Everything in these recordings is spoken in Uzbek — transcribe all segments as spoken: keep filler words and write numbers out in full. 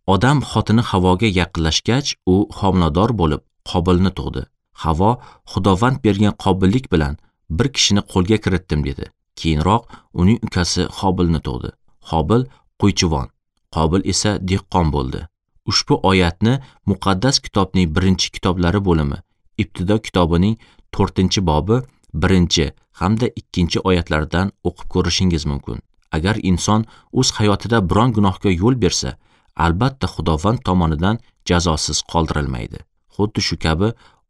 Odam xotini Havoga yaqinlashgach, u homilador bo'lib Qobilni tug'di. Havo Xudovand bergan qobillik bilan bir kishini qo'lga kiritdim dedi. Keyinroq uning ukasi Hobilni tug'di. Hobil qo'ychivon, Qobil esa dehqon bo'ldi. Ushbu oyatni muqaddas kitobning birinchi kitoblari bo'limi, Ibtido kitobining to'rtinchi bobi birinchi hamda ikkinchi oyatlardan o'qib ko'rishingiz mumkin. Agar inson o'z hayotida biron gunohga yo'l bersa, albatta Xudovand tomonidan jazosiz qoldirilmaydi. Xuddi shu kabi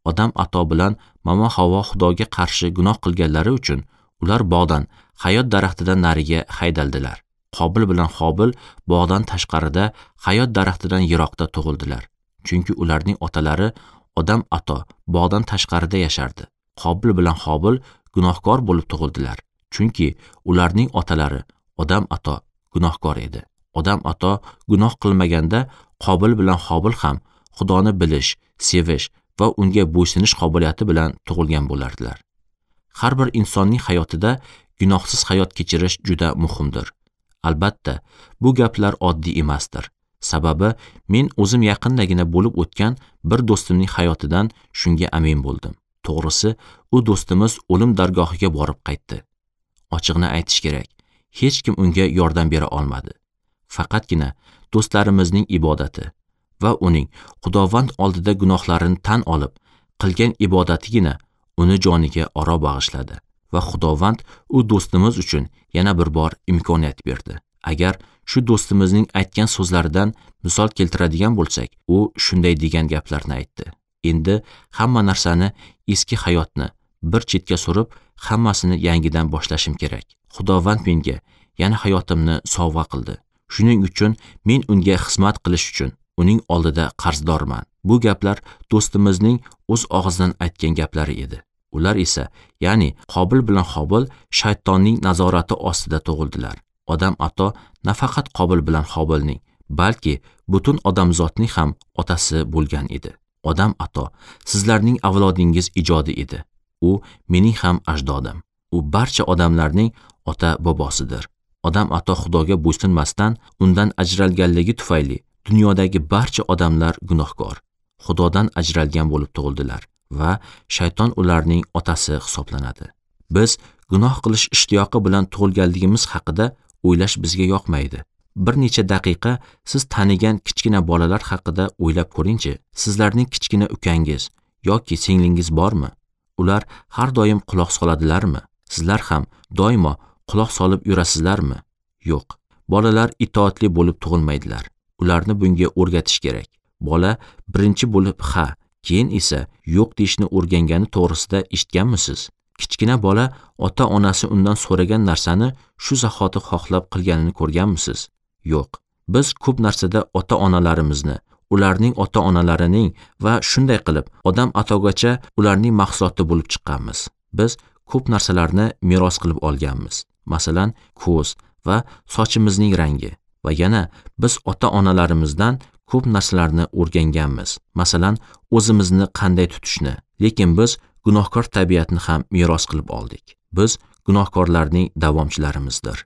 Odam ato bilan Mama Havo Xudoga qarshi gunoh qilganlari uchun ular bog'dan, hayot daraxtidan nariga haydaldilar. Qobil bilan Hobil bog'dan tashqarida, hayot daraxtidan yiroqda tug'ildilar. Chunki ularning otalari Odam ato bog'dan tashqarida yashardi. Qobil bilan Hobil gunohkor bo'lib tug'ildilar. Chunki ularning otalari Odam ato gunohkor edi. Odam ato gunoh qilmaganda Qobil bilan Hobil ham Xudoni bilish, sevish va unga bo'ysunish qobiliyati bilan tug'ilgan bo'lardilar. Har bir insonning hayotida gunohsiz hayot kechirish juda muhimdir. Albatta, bu gaplar oddiy emasdir. Sababi men o'zim yaqindagina bo'lib o'tgan bir do'stimning hayotidan shunga amin bo'ldim. To'g'risi, u do'stimiz o'lim dargohiga borib qaytdi. Ochig'ini aytish kerak, hech kim unga yordam bera olmadi. Faqatgina do'stlarimizning ibodati va uning Xudovand oldida gunohlarini tan olib qilgan ibodatigina uni joniga oro bag'ishladi va Xudovand u do'stimiz uchun yana bir bor imkoniyat berdi. Agar shu do'stimizning aytgan so'zlaridan misol keltiradigan bo'lsak, u shunday degan gaplarni aytdi: Endi hamma narsani, eski hayotni bir chetga surib, hammasini yangidan boshlashim kerak. Xudovand menga yana hayotimni sovg'a qildi. Shuning uchun men unga xizmat qilish uchun uning oldida qarzdorman. Bu gaplar do'stimizning o'z og'zidan aytgan gaplari edi. Ular esa, ya'ni Qobil bilan Hobil shaytonning nazorati ostida tug'ildilar. Odam ato nafaqat Qobil bilan Hobilning, balki butun odamzotning ham otasi bo'lgan edi. Odam ato sizlarning avlodingiz ijodi edi. U mening ham ajdodim. U barcha odamlarning ota bobosidir. Odam ato Xudoga bo'ysunmasdan undan ajralganligi tufayli dunyodagi barcha odamlar gunohkor, Xudodan ajralgan bo'lib tug'ildilar va shayton ularning otasi hisoblanadi. Biz gunoh qilish ishtiyoqi bilan tug'ilganligimiz haqida o'ylash bizga yoqmaydi. Bir necha daqiqa siz tanigan kichkina bolalar haqida o'ylab ko'ringchi. Sizlarning kichkina ukangiz yoki singlingiz bormi? Ular har doim quloq soladilarmi? Sizlar ham doimo quloq solib yurasizlarmi? Yo'q. Bolalar itoatli bo'lib tug'ilmaydilar. Ularni bunga o'rgatish kerak. Bola birinchi bo'lib ha, keyin esa yo'q deyishni o'rgangani to'g'risida eshitganmisiz? Kichkina bola ota-onasi undan so'ragan narsani shu zahoti xohlab qilganini ko'rganmisiz? Yo'q. Biz ko'p narsada ota-onalarimizni, ularning ota-onalarining va shunday qilib odam atogacha ularning mahsuloti bo'lib chiqqanmiz. Biz ko'p narsalarni meros qilib olganmiz. Masalan, ko'z va sochimizning rangi. Va yana biz ota-onalarimizdan ko'p narsalarni o'rganganmiz. Masalan, o'zimizni qanday tutishni. Lekin biz gunohkor tabiatni ham meros qilib oldik. Biz gunohkorlarning davomchilarimizdir.